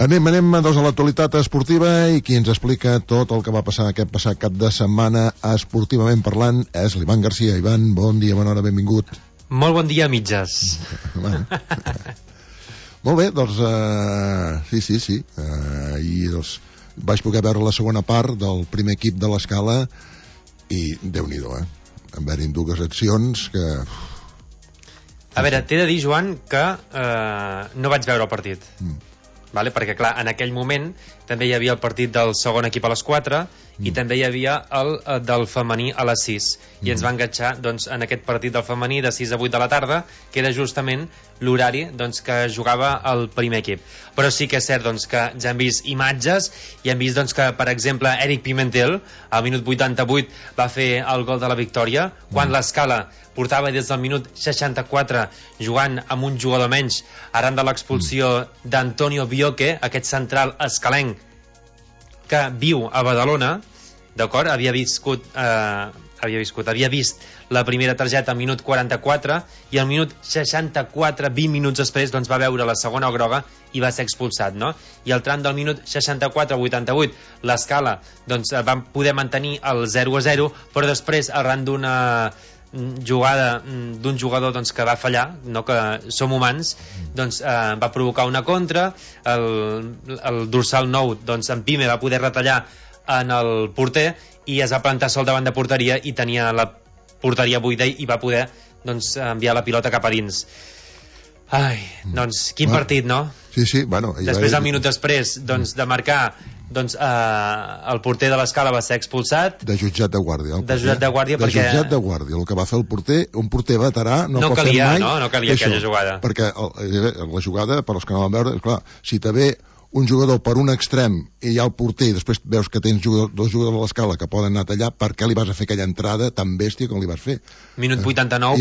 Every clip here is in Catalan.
Anem doncs a l'actualitat esportiva i qui ens explica tot el que va passar aquest passat cap de setmana esportivament parlant és l'Ivan Garcia. Ivan, bon dia, bona hora, benvingut. Molt bon dia, mitges. Molt bé, doncs sí. I doncs vaig poder veure la segona part del primer equip de l'Escala i Déu-n'hi-do, en haver-hi dues accions que... A veure, t'he de dir, Joan, que no vaig veure el partit. Vale? Perquè, clar, en aquell moment també hi havia el partit del segon equip a les 4 i també hi havia el del femení a les 6. I ens va enganxar doncs, en aquest partit del femení de 6 a 8 de la tarda, que era justament l'horari doncs, que jugava el primer equip. Però sí que és cert doncs, que ja hem vist imatges i hem vist doncs, que, per exemple, Eric Pimentel, al minut 88, va fer el gol de la victòria, quan l'Escala portava des del minut 64 jugant amb un jugador menys arran de l'expulsió d'Antonio Bioque, aquest central escalenc que viu a Badalona, d'acord? Havia vist la primera targeta al minut 44 i al minut 64, 20 minuts després, doncs va veure la segona groga i va ser expulsat, no? I al tram del minut 64-88 l'Escala doncs, va poder mantenir el 0-0, però després, arran d'una jugada d'un jugador doncs, que va fallar, no, que som humans, doncs, va provocar una contra, el dorsal 9 doncs, en Pime va poder retallar en el porter i es va plantar sol davant de porteria i tenia la porteria buida i va poder doncs, enviar la pilota cap a dins. Ai, doncs quin partit, no? Sí, bueno... Després, un minut després doncs, de marcar, doncs, el porter de l'Escala va ser expulsat. De jutjat de guàrdia. De jutjat de guàrdia, perquè... De jutjat de guàrdia, el que va fer el porter, un porter veterà, no pot calia, fer mai... No calia aquella jugada. Perquè la jugada, per als que no van veure, clar, si te ve un jugador per un extrem i hi ha el porter i després veus que tens dos jugadors a l'Escala que poden anar a tallar, per què li vas a fer aquella entrada tan bèstia com li vas fer? Minut 89,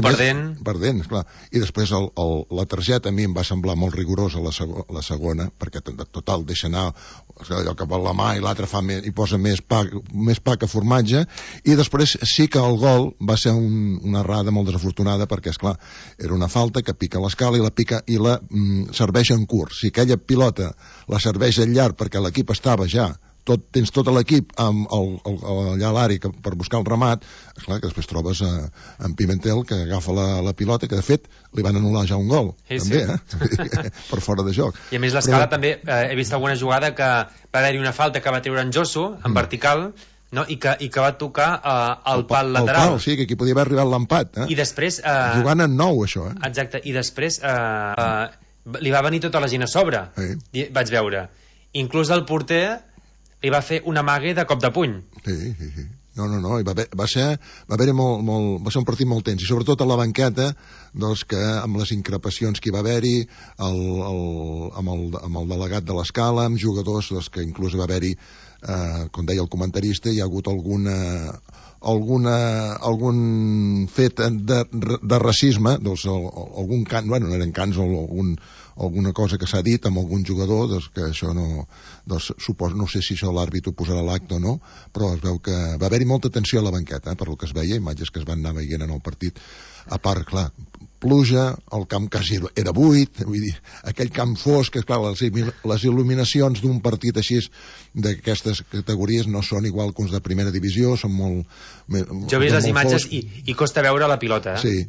perdent, esclar. I després la targeta a mi em va semblar molt rigorosa la segona, perquè total deixa anar allò que vol la mà i l'altre i posa més pa que formatge, i després sí que el gol va ser una errada molt desafortunada perquè, esclar, era una falta que pica l'Escala i la pica i la serveix en curt. Si aquella pilota la serveix al llarg perquè l'equip estava ja tens tot l'equip allà a l'àrea per buscar el remat, esclar que després trobes en Pimentel que agafa la pilota, que de fet li van anul·lar ja un gol, també, per fora de joc. I a més l'Escala també, he vist alguna jugada que va haver-hi una falta que va treure en Josu, en vertical, no? I que va tocar el pal lateral. El pal, sí, que aquí podia haver arribat l'empat. I després... jugant en nou, això. Exacte, i després li va venir tota la gent a sobre, vaig veure. Inclús el porter li va fer una amague de cop de puny. Sí. No, va ser un partit molt tens, i sobretot a la banqueta, doncs, que amb les increpacions que hi va haver-hi, amb el delegat de l'Escala, amb jugadors doncs, que inclús va haver-hi, com deia el comentarista, hi ha hagut algun fet de racisme, doncs, algun cant, bueno, no eren cants, alguna cosa que s'ha dit amb algun jugador, doncs, que això no, doncs, suposo, no sé si això l'àrbit ho posarà a l'acte o no, però es veu que va haver-hi molta tensió a la banqueta, per el que es veia, imatges que es van anar veient en el partit. A part, clar, pluja, el camp quasi era buit, vull dir, aquell camp fosc, que clar, les il·luminacions d'un partit així d'aquestes categories no són igual que uns de primera divisió, són molt... Jo he vist les imatges i costa veure la pilota, Sí.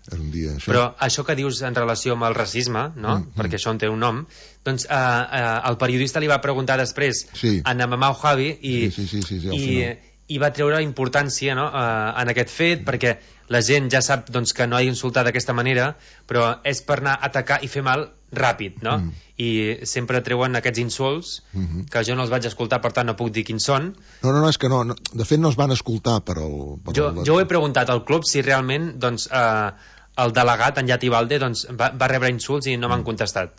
És un dia, això. Però això que dius en relació amb el racisme, no? Perquè això en té un nom, doncs el periodista li va preguntar després a Namamau Javi i va treure importància, no? En aquest fet, perquè la gent ja sap doncs, que no ha d'insultar d'aquesta manera, però és per anar a atacar i fer mal ràpid, no? I sempre treuen aquests insults que jo no els vaig escoltar, per tant no puc dir quins són. No, és que no, de fet no es van escoltar jo ho he preguntat al club si realment doncs, el delegat, en Yati Valde, doncs, va rebre insults i no m'han contestat.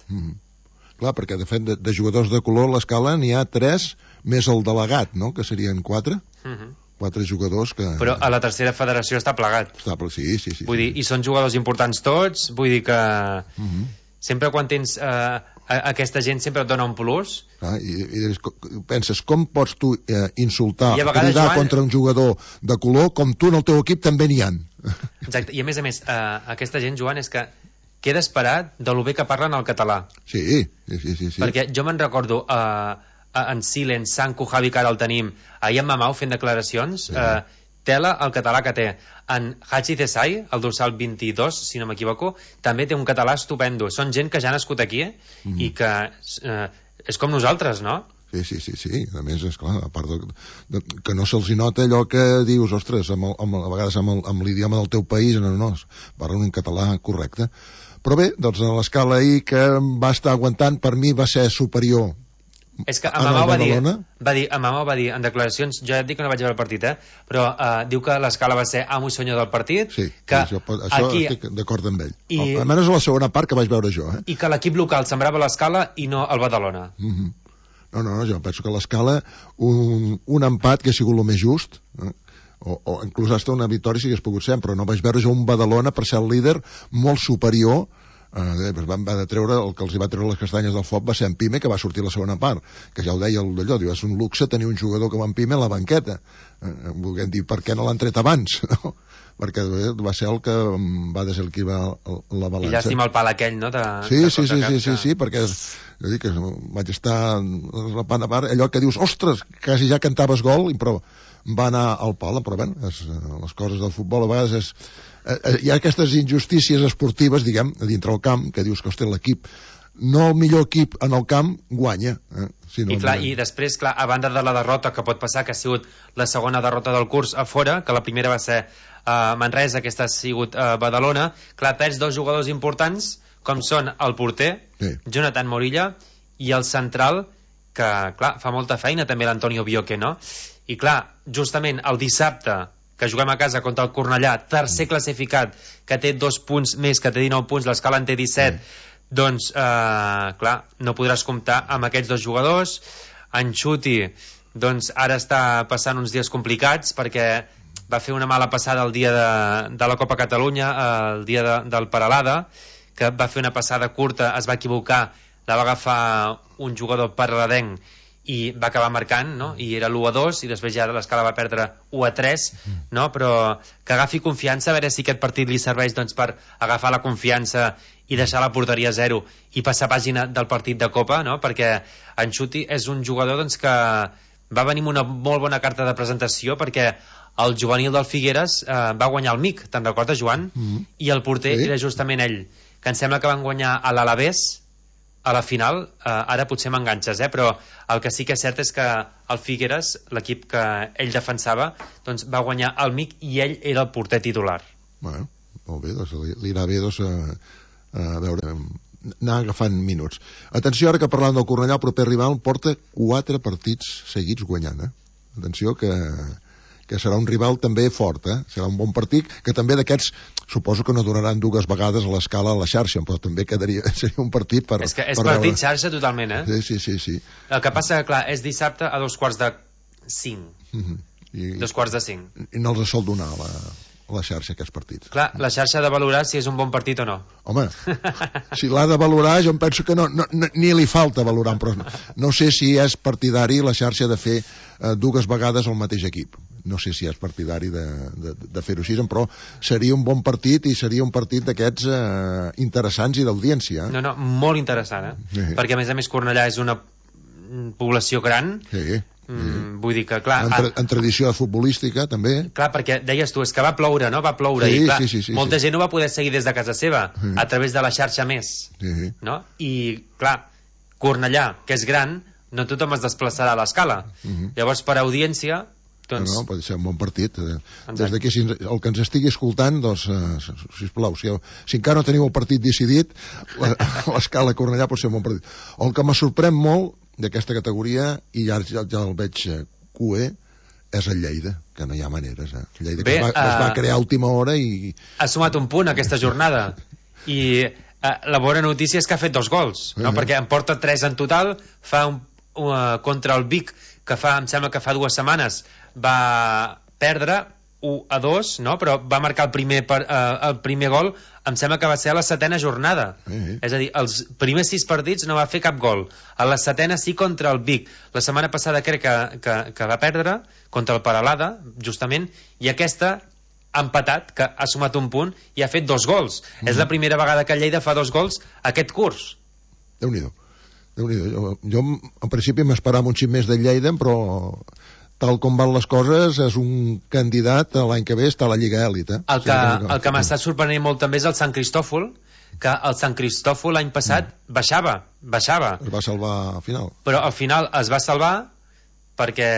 Clar, perquè de fet de jugadors de color a l'Escala n'hi ha 3 més el delegat, no? Que serien 4 jugadors que... Però a la tercera federació està plegat. Sí. Vull dir, i són jugadors importants tots, vull dir que sempre quan tens aquesta gent sempre et dona un plus. I penses, com pots tu insultar, cridar contra un jugador de color com tu en el teu equip també n'hi ha? Exacte, i a més, aquesta gent, Joan, és que queda esperat de lo bé que parlen el català. Sí. Perquè jo me'n recordo en Silen, Sanku, Javi, que ara el tenim, ahir en Mamau fent declaracions, tela el català que té. En Hachi Desai, el dorsal 22, si no m'equivoco, també té un català estupendo. Són gent que ja ha nascut aquí i que és com nosaltres, no? Sí. A més, esclar, a part que no se'ls nota allò que dius, ostres, a vegades amb l'idioma del teu país, no, parlen un català correcte. Però bé, doncs a l'escala ahir que va estar aguantant, per mi va ser superior. És que Mamau va dir en declaracions, jo ja et dic que no vaig veure el partit, però diu que l'escala va ser amo i senyor del partit. Sí, que això estic d'acord amb ell. Almenys a la segona part que vaig veure jo. I que l'equip local sembrava l'escala i no el Badalona. No, jo penso que l'escala un empat que ha sigut el més just, o inclús hasta una victòria si hagués pogut ser, però no vaig veure jo un Badalona per ser el líder molt superior. Van de treure, el que els hi va treure les castanyes del foc va ser en Pime, que va sortir la segona part, que ja ho deia d'allò, diu, és un luxe tenir un jugador com en Pime a la banqueta, volguem dir, per què no l'han tret abans, no? Perquè va ser el que va desequilibrar la balança. I llàstima el pal aquell, no? Sí, perquè jo dic que vaig estar repant a part, allò que dius, ostres, quasi ja cantaves gol, però va anar al pal, però bé, les coses del futbol a vegades hi ha aquestes injustícies esportives, diguem, a dintre el camp, que dius que, ostres, l'equip, no el millor equip en el camp, guanya. I després, clar, a banda de la derrota que pot passar, que ha sigut la segona derrota del curs a fora, que la primera va ser a Manresa, aquesta ha sigut a Badalona, clar, perds dos jugadors importants, com són el porter, Jonathan Morilla, i el central, que, clar, fa molta feina, també l'Antonio Bioque, no? I, clar, justament el dissabte, que juguem a casa contra el Cornellà, tercer classificat, que té 2 punts més, que té 19 punts, l'escala en té 17, doncs, clar, no podràs comptar amb aquests dos jugadors. En Xuti, doncs, ara està passant uns dies complicats, perquè va fer una mala passada el dia de la Copa Catalunya, el dia del Peralada, que va fer una passada curta, es va equivocar, la va agafar un jugador paraladenc, i va acabar marcant, no? I era l'1-2 i després ja l'escala va perdre 1-3, no? Però que agafi confiança, a veure si aquest partit li serveix, doncs, per agafar la confiança i deixar la porteria a 0 i passar pàgina del partit de Copa, no? Perquè en Xuti és un jugador, doncs, que va venir amb una molt bona carta de presentació, perquè el juvenil del Figueres va guanyar el MIC, te'n recordes, Joan? I el porter era justament ell, que em sembla que van guanyar a l'Alavés a la final, ara potser m'enganxes, però el que sí que és cert és que el Figueres, l'equip que ell defensava, doncs va guanyar el MIC i ell era el porter titular. Bueno, molt bé, doncs li anirà bé, doncs, a veure, anar agafant minuts. Atenció, ara que parlant del Cornellà, el proper rival porta 4 partits seguits guanyant, Atenció que serà un rival també fort, serà un bon partit, que també d'aquests suposo que no donaran 2 vegades a l'escala a la xarxa, però també seria un partit per... És que és partit xarxa totalment, Sí. El que passa, clar, és dissabte a 4:45. 4:45. I no els sol donar a la xarxa aquests partits. Clar, la xarxa ha de valorar si és un bon partit o no. Home, si l'ha de valorar, jo em penso que no, ni li falta valorar, però no sé si és partidari la xarxa de fer 2 vegades el mateix equip. No sé si és partidari de fer-ho així, però seria un bon partit i seria un partit d'aquests interessants i d'audiència. No, molt interessant, perquè a més Cornellà és una població gran. Vull dir que, clar... En tradició futbolística, també. Clar, perquè deies tu, és que va ploure, no? Va ploure, i clar, molta gent ho va poder seguir des de casa seva, a través de la xarxa més, no? I, clar, Cornellà, que és gran, no tothom es desplaçarà a l'escala. Llavors, per audiència... Doncs... No, pot ser un bon partit. Des d'aquí, el que ens estigui escoltant, doncs, sisplau, si encara no teniu el partit decidit, l'escala Cornellà pot ser un bon partit. El que me sorprèn molt d'aquesta categoria, i ja el veig cué, és el Lleida, que no hi ha maneres. Lleida que es va crear a última hora i... Ha sumat un punt aquesta jornada. I la bona notícia és que ha fet 2 gols, no? Perquè en porta 3 en total, fa contra el Vic, que em sembla que fa 2 setmanes va perdre 1-2, no? Però va marcar el primer gol, em sembla que va ser a la 7ª jornada. És a dir, els primers 6 partits no va fer cap gol. A la 7ª sí contra el Vic. La setmana passada crec que va perdre contra el Peralada, justament, i aquesta empatat, que ha sumat un punt i ha fet 2 gols. És la primera vegada que el Lleida fa 2 gols aquest curs. Déu-n'hi-do. Jo en principi m'esperava un xic més del Lleida, però tal com van les coses és un candidat l'any que ve està a la Lliga Èlite. El que m'ha estat sorprenent molt també és el Sant Cristòfol, que el Sant Cristòfol l'any passat baixava. Es va salvar al final. Però al final es va salvar perquè,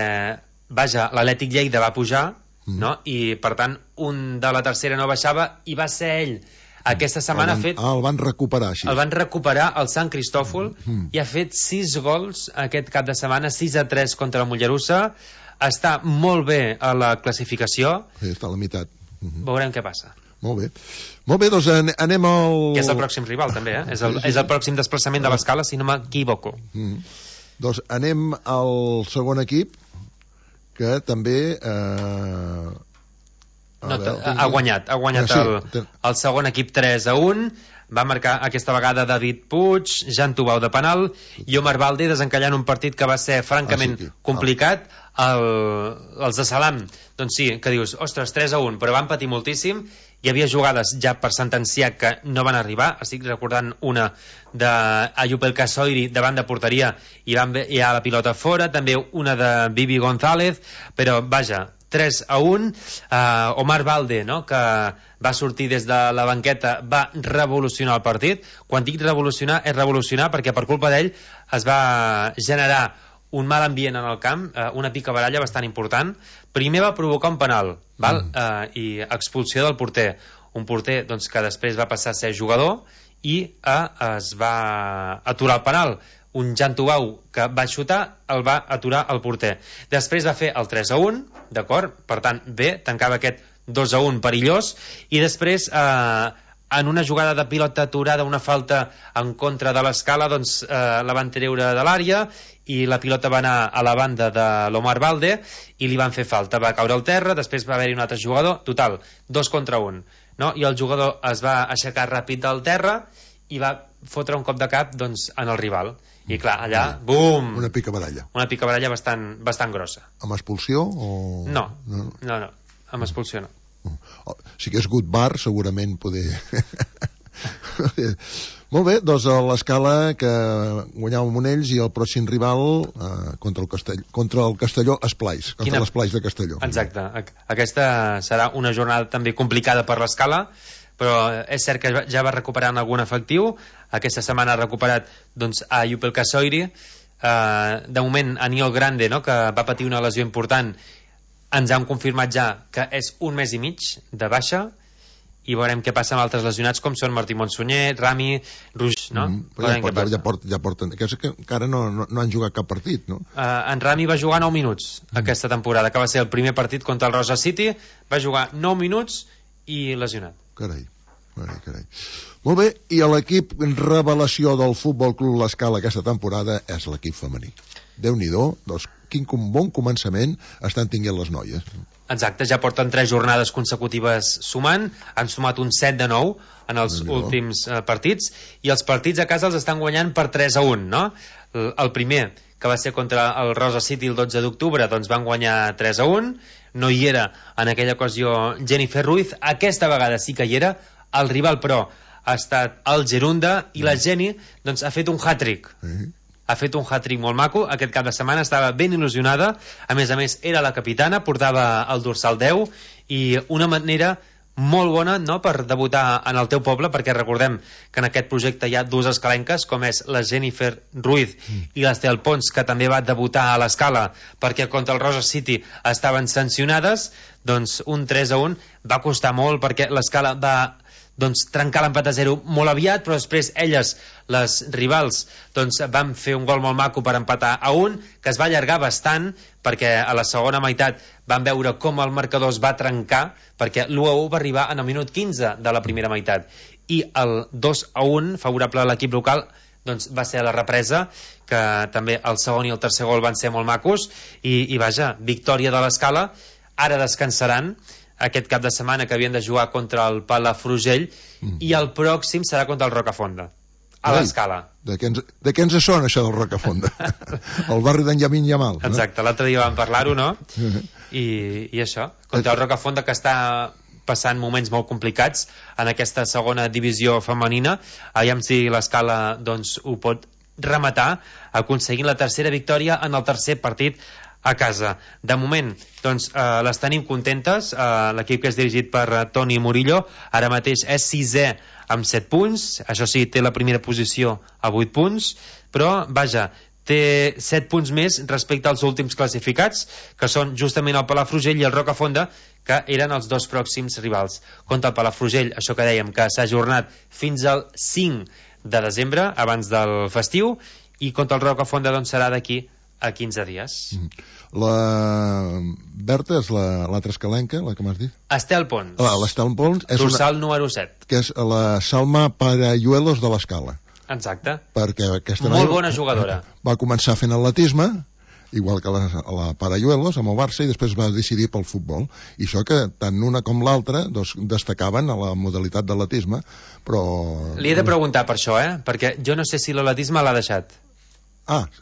vaja, l'Atlètic Lleida va pujar, no? I per tant un de la tercera no baixava i va ser ell. Aquesta setmana el van recuperar així. El van recuperar el Sant Cristòfol i ha fet 6 gols aquest cap de setmana, 6-3 contra el Mollerussa. Està molt bé a la classificació. Sí, està a la meitat. Veurem què passa. Molt bé, doncs anem al... Que és el pròxim rival, també, És el pròxim desplaçament de l'Escala, si no m'equivoco. Doncs anem al segon equip, que també... ha guanyat el segon equip 3-1. Va marcar aquesta vegada David Puig, Jan Tubau de penal i Omar Balde desencallant un partit que va ser francament complicat. Els de Salam, doncs sí, que dius, ostres, 3-1, però van patir moltíssim. Hi havia jugades ja per sentenciar que no van arribar. Estic recordant una d'Ayub El Kasoiri davant de porteria i ha la pilota fora, també una de Bibi González, però vaja, 3-1. Omar Balde, no?, que va sortir des de la banqueta, va revolucionar el partit. Quan dic revolucionar, és revolucionar perquè per culpa d'ell es va generar un mal ambient en el camp, una picabaralla bastant important. Primer va provocar un penal, i expulsió del porter. Un porter doncs, que després va passar a ser jugador i es va aturar el penal. Un Jan Tubau que va xutar el va aturar el porter. Després va fer el 3-1, d'acord? Per tant, bé, tancava aquest 2-1 perillós, i després en una jugada de pilota aturada, una falta en contra de l'Escala, doncs la van treure de l'àrea i la pilota va anar a la banda de l'Omar Balde i li van fer falta, va caure al terra. Després va haver-hi un altre jugador, total, 2 contra 1, no? I el jugador es va aixecar ràpid del terra i va fotre un cop de cap, doncs, en el rival. I clar, allà, bum! Una picabaralla. Una picabaralla bastant grossa. Amb expulsió o...? No, amb expulsió no. Si hagués hagut bar, segurament poder... Molt bé, doncs l'Escala que guanyava el Monells i el pròxim rival contra el Castelló Esplais, contra l'Esplais de Castelló. Exacte, aquesta serà una jornada també complicada per l'Escala, però és cert que ja va recuperant algun efectiu. Aquesta setmana ha recuperat doncs, a Ayub El Kasoiri, de moment Aniol Grande, no?, que va patir una lesió important. Ens han confirmat ja que és 1 mes i mig de baixa, i veurem què passa amb altres lesionats com són Martí Montsunyer, Rami, Ruix, no? Ja porten, que encara no han jugat cap partit, no? En Rami va jugar 9 minuts aquesta temporada, que va ser el primer partit contra el Rosa City, va jugar 9 minuts i lesionat. Carai. Molt bé, i l'equip revelació del Futbol Club l'Escala aquesta temporada és l'equip femení. Déu-n'hi-do, doncs quin bon començament estan tinguent les noies. Exacte, ja porten 3 jornades consecutives sumant, han sumat un 7 de 9 en els últims partits, i els partits a casa els estan guanyant per 3-1, no? El primer, que va ser contra el Rosa City el 12 d'octubre, doncs van guanyar 3-1, no hi era en aquella ocasió Jennifer Ruiz, aquesta vegada sí que hi era. El rival, però, ha estat el Gerunda, i la Jenny doncs, ha fet un hat-trick. Ha fet un hat-trick molt maco. Aquest cap de setmana estava ben il·lusionada. A més, era la capitana, portava el dorsal 10, i una manera molt bona, no?, per debutar en el teu poble, perquè recordem que en aquest projecte hi ha 2 escalenques, com és la Jennifer Ruiz i l'Estel Pons, que també va debutar a l'Escala perquè contra el Rosa City estaven sancionades. Doncs un 3-1 va costar molt, perquè l'Escala va trencar l'empat a 0 molt aviat, però després elles, les rivals, doncs van fer un gol molt maco per empatar a 1, que es va allargar bastant, perquè a la segona meitat van veure com el marcador es va trencar, perquè l'1-1 va arribar en el minut 15 de la primera meitat, i el 2-1 favorable a l'equip local doncs va ser a la represa, que també el segon i el tercer gol van ser molt macos, i vaja, victòria de l'Escala. Ara descansaran aquest cap de setmana, que havien de jugar contra el Palafrugell, i el pròxim serà contra el Rocafonda, a l'Escala. De què ens sona això del Rocafonda? El barri d'en Llamin Yamal, no? Exacte, l'altre dia vam parlar-ho, no? I això, contra el Rocafonda, que està passant moments molt complicats en aquesta segona divisió femenina. Aviam si l'Escala doncs, ho pot rematar aconseguint la tercera victòria en el tercer partit a casa. De moment doncs, les tenim contentes. L'equip que és dirigit per Toni Murillo ara mateix és 6è amb 7 punts, això sí, té la primera posició a 8 punts, però vaja, té 7 punts més respecte als últims classificats, que són justament el Palafrugell i el Rocafonda, que eren els dos pròxims rivals. Contra el Palafrugell, això que dèiem, que s'ha ajornat fins al 5 de desembre, abans del festiu, i contra el Rocafonda doncs, serà d'aquí a 15 dies. La Berta és l'altra escalenca, la que m'has dit? Estel Pons. L'Estel Pons és dorsal número 7. Que és la Salma Parayuelos de l'Escala. Exacte. Perquè aquesta molt bona jugadora. Va començar fent atletisme, igual que la Parayuelos, amb el Barça, i després va decidir pel futbol. I això que tant una com l'altra doncs, destacaven a la modalitat d'atletisme, però... Li he de preguntar per això, perquè jo no sé si l'atletisme l'ha deixat.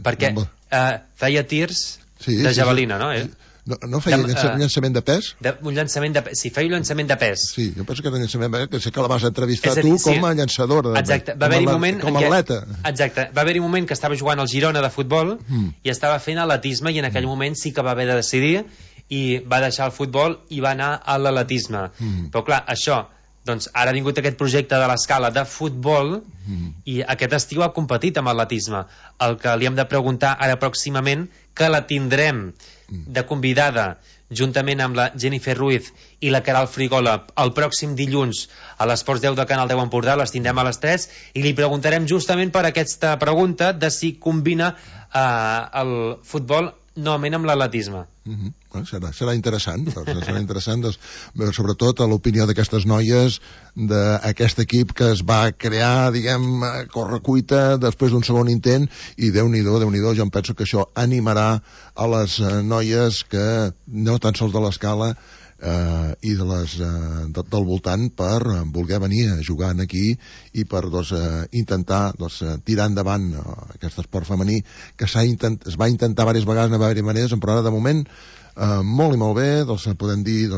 Perquè feia tirs de javelina, no? No feia llançament de pes? Un llançament de pes. Sí, feia un llançament de pes. Sí, jo penso que era llançament de pes, que sé que la vas entrevistar tu com a llançadora. Exacte, va haver-hi un moment... Com a atleta. Exacte, va haver-hi un moment que estava jugant al Girona de futbol i estava fent atletisme, i en aquell moment sí que va haver de decidir i va deixar el futbol i va anar a l'atletisme. Però clar, això... Doncs ara ha vingut aquest projecte de l'Escala de futbol i aquest estiu ha competit amb atletisme. El que li hem de preguntar ara pròximament, que la tindrem de convidada juntament amb la Jennifer Ruiz i la Queralt Frigola el pròxim dilluns a l'Esports 10 de Canal 10 Empordà, les tindrem a les 3 i li preguntarem justament per aquesta pregunta de si combina el futbol novament amb l'atletisme. Serà interessant, serà interessant veure sobretot l'opinió d'aquestes noies d'aquest equip que es va crear, diguem, a correcuita després d'un segon intent, i Déu-n'hi-do, jo em penso que això animarà a les noies que no tan sols de l'Escala i del voltant per voler venir a jugar aquí i per intentar tirar endavant aquest esport femení que es va intentar diverses vegades de diverses maneres, però ara de moment molt i molt bé, podem dir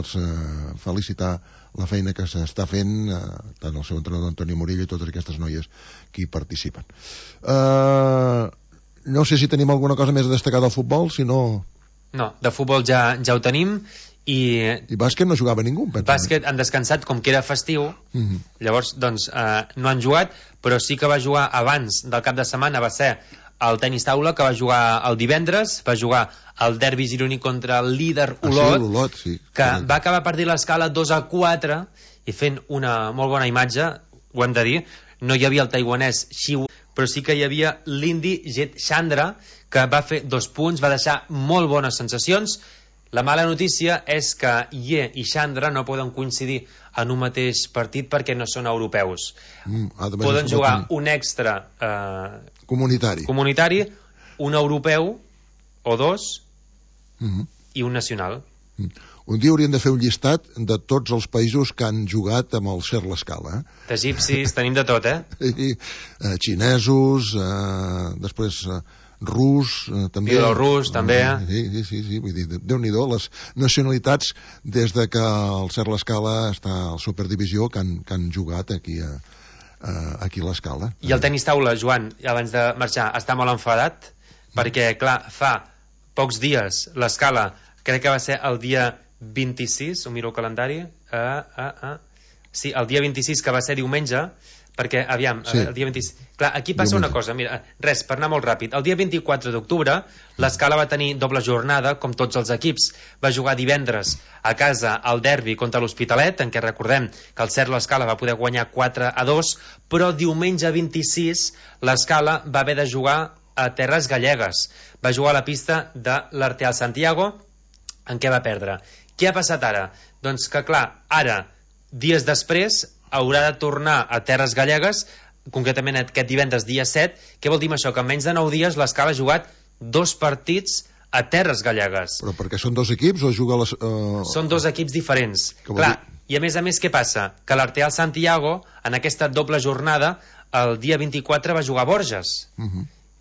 felicitar la feina que s'està fent tant el seu entrenador Antoni Murillo i totes aquestes noies que hi participen. No sé si tenim alguna cosa més a destacar del futbol, si no... No, de futbol ja ho tenim. I bàsquet no jugava ningú, penso. Bàsquet han descansat, com que era festiu, llavors doncs no han jugat, però sí que va jugar abans del cap de setmana, va ser el tenis taula, que va jugar el divendres, va jugar el derbi gironí contra el líder Olot, que va acabar perdent l'Escala 2-4 i fent una molt bona imatge, ho hem de dir. No hi havia el taiwanès Xiu, però sí que hi havia l'indi Jet Chandra, que va fer 2 punts, va deixar molt bones sensacions. La mala notícia és que Ye i Chandra no poden coincidir en un mateix partit perquè no són europeus. Poden jugar un extra comunitari, un europeu o 2 i un nacional. Un dia hauríem de fer un llistat de tots els països que han jugat amb el Ser l'Escala. D'egipcis, tenim de tot, xinesos, després... rus, també. Bielorús, també. Sí, vull dir, Déu-n'hi-do, les nacionalitats des de que el Ser l'Escala està a la Superdivisió que han jugat aquí a l'Escala. I el tenis taula, Joan, abans de marxar, està molt enfadat, perquè, clar, fa pocs dies l'Escala, crec que va ser el dia 26, ho miro el calendari, sí, el dia 26, que va ser diumenge, perquè, aviam, el dia 26... Clar, aquí passa una cosa, mira, res, per anar molt ràpid. El dia 24 d'octubre, l'Escala va tenir doble jornada, com tots els equips. Va jugar divendres a casa al derbi contra l'Hospitalet, en què recordem que el Ser l'Escala va poder guanyar 4-2, però diumenge 26 l'Escala va haver de jugar a Terres Gallegues. Va jugar a la pista de l'Arteal Santiago, en què va perdre. Què ha passat ara? Doncs que, clar, ara, dies després, haurà de tornar a Terres Gallegues, concretament aquest divendres dia 7. Què vol dir això? Que en menys de 9 dies l'Escala ha jugat 2 partits a Terres Gallegues. Però perquè són 2 equips o juga les... Són 2 equips diferents. Clar, i a més, què passa? Que l'Arteal Santiago, en aquesta doble jornada, el dia 24 va jugar a Borges.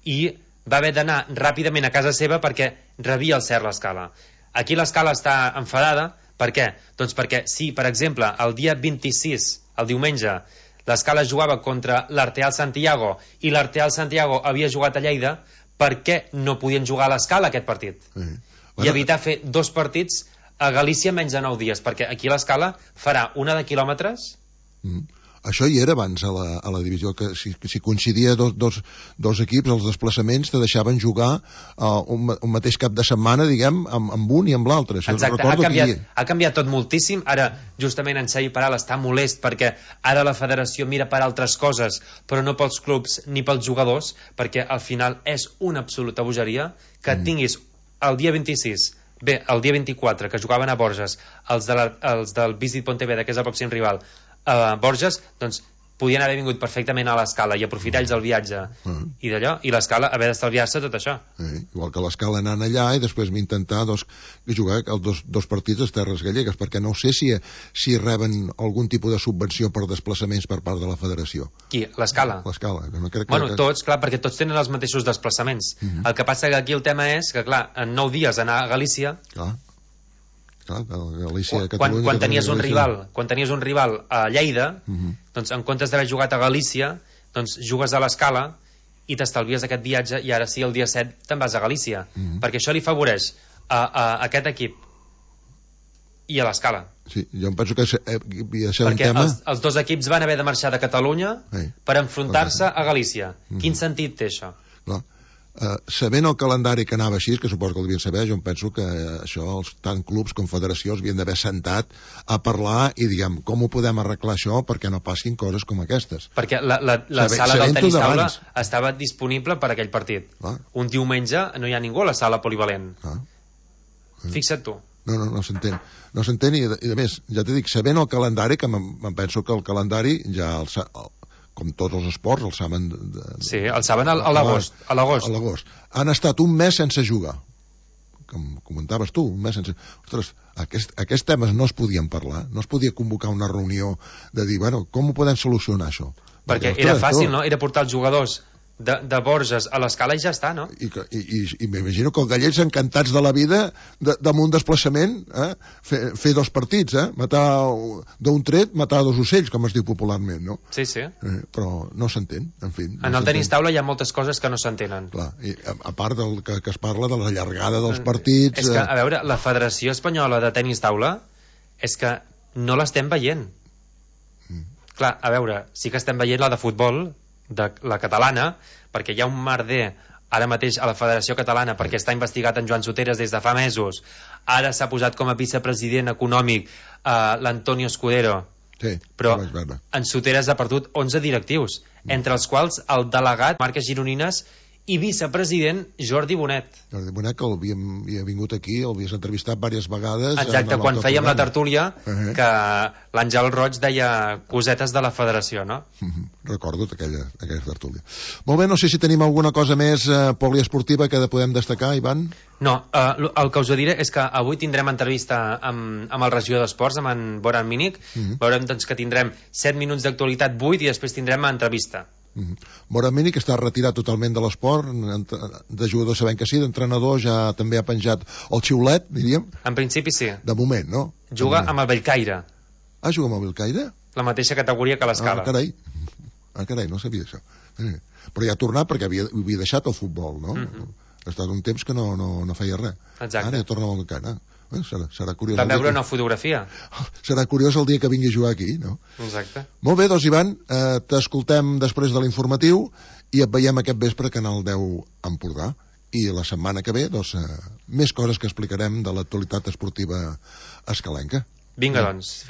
I va haver d'anar ràpidament a casa seva perquè rebia el Ser l'Escala. Aquí l'Escala està enfadada Per què? Doncs perquè si, per exemple, el dia 26, el diumenge, l'Escala jugava contra l'Arteal Santiago i l'Arteal Santiago havia jugat a Lleida, per què no podien jugar a l'Escala aquest partit? I evitar fer 2 partits a Galícia menys de 9 dies, perquè aquí l'Escala farà una de quilòmetres. Això hi era abans a la divisió, que si coincidia dos equips, els desplaçaments te deixaven jugar un mateix cap de setmana, diguem, amb un i amb l'altre. Exacte, ha canviat tot moltíssim. Ara, justament, en Xavi Peral està molest perquè ara la federació mira per altres coses, però no pels clubs ni pels jugadors, perquè al final és una absoluta bogeria que tinguis el dia 26, bé, el dia 24, que jugaven a Borges, els del Visit Pontevedra, que és el pròxim rival, Borges, doncs podien haver vingut perfectament a l'Escala i aprofitar ells el viatge i d'allò, i l'Escala haver d'estalviar-se tot això. Igual que l'Escala anant allà i després intentar jugar els dos partits a Terres Gallegues, perquè no sé si reben algun tipus de subvenció per desplaçaments per part de la federació. Qui? L'Escala? L'Escala. No crec bueno, tots, clar, perquè tots tenen els mateixos desplaçaments. El que passa que aquí el tema és que, clar, en 9 dies anar a Galícia... Clar, Galícia, Catalunya... Quan tenies un rival a Lleida, doncs en comptes d'haver jugat a Galícia, doncs jugues a l'Escala i t'estalvies aquest viatge i ara sí, el dia 7 te'n vas a Galícia, perquè això li favoreix a aquest equip i a l'Escala. Sí, jo em penso que havia de ser perquè un tema... els dos equips van haver de marxar de Catalunya per enfrontar-se a Galícia. Quin sentit té això? Clar. Sabent el calendari que anava així, que suposo que el devien saber, jo em penso que això tant clubs com federacions havien d'haver sentat a parlar i diguem, com ho podem arreglar això perquè no passin coses com aquestes. Perquè la sala del tenis taula estava disponible per aquell partit. Un diumenge no hi ha ningú a la sala polivalent. Fixa't tu. No s'entén i a més, ja t'he dit, sabent el calendari, que em penso que el calendari ja com tots els esports, el saben... Sí, el saben a l'agost. A l'agost. Han estat un mes sense jugar. Com comentaves tu, un mes sense... Ostres, aquests temes no es podien parlar, no es podia convocar una reunió de dir, bueno, com ho podem solucionar, això? Perquè era fàcil, no? Era portar els jugadors de Borges a l'Escala i ja està, no? I m'imagino que els gallecs encantats de la vida amb un desplaçament, fer 2 partits, matar d'un tret, matar 2 ocells, com es diu popularment, no? Sí, sí. Però no s'entén, en fi. En el tenis taula hi ha moltes coses que no s'entenen. Clar, i a part del que es parla de la llargada dels partits... És que, a veure, la Federació Espanyola de Tenis Taula és que no l'estem veient. Clar, a veure, sí que estem veient la de futbol, de la catalana, perquè hi ha un merder ara mateix a la Federació Catalana perquè està investigat en Joan Soteres des de fa mesos. Ara s'ha posat com a vicepresident econòmic l'Antonio Escudero, però en Soteres ha perdut 11 directius, entre els quals el delegat Marques Gironines i vicepresident Jordi Bonet. Jordi Bonet, que havia vingut aquí, l'havies entrevistat diverses vegades. Exacte, quan fèiem la tertúlia, que l'Àngel Roig deia cosetes de la federació, no? Recordo aquella tertúlia. Molt bé, no sé si tenim alguna cosa més poliesportiva que podem destacar, Ivan? No, el que us diré és que avui tindrem entrevista amb el regidor d'Esports, amb en Boran Mínic. Veurem doncs, que tindrem 7 minuts d'actualitat, 8, i després tindrem entrevista. Boran Mínic està retirat totalment de l'esport, de jugador sabem que sí, d'entrenador ja també ha penjat el xiulet, diríem. En principi sí. De moment, no? Juga amb el Bellcaire. Juga amb el Bellcaire? La mateixa categoria que l'Escala. Carai, no sabia això. Però ja ha tornat perquè havia deixat el futbol, no? Ha estat un temps que no feia res. Exacte. Ara ja torna al Bellcaire. Serà curiós. Vam veure una fotografia. Serà curiós el dia que vingui a jugar aquí, no? Exacte. Molt bé, doncs, Ivan, t'escoltem després de l'informatiu i et veiem aquest vespre a Canal 10 Empordà. I la setmana que ve, doncs, més coses que explicarem de l'actualitat esportiva escalenca. Vinga, doncs.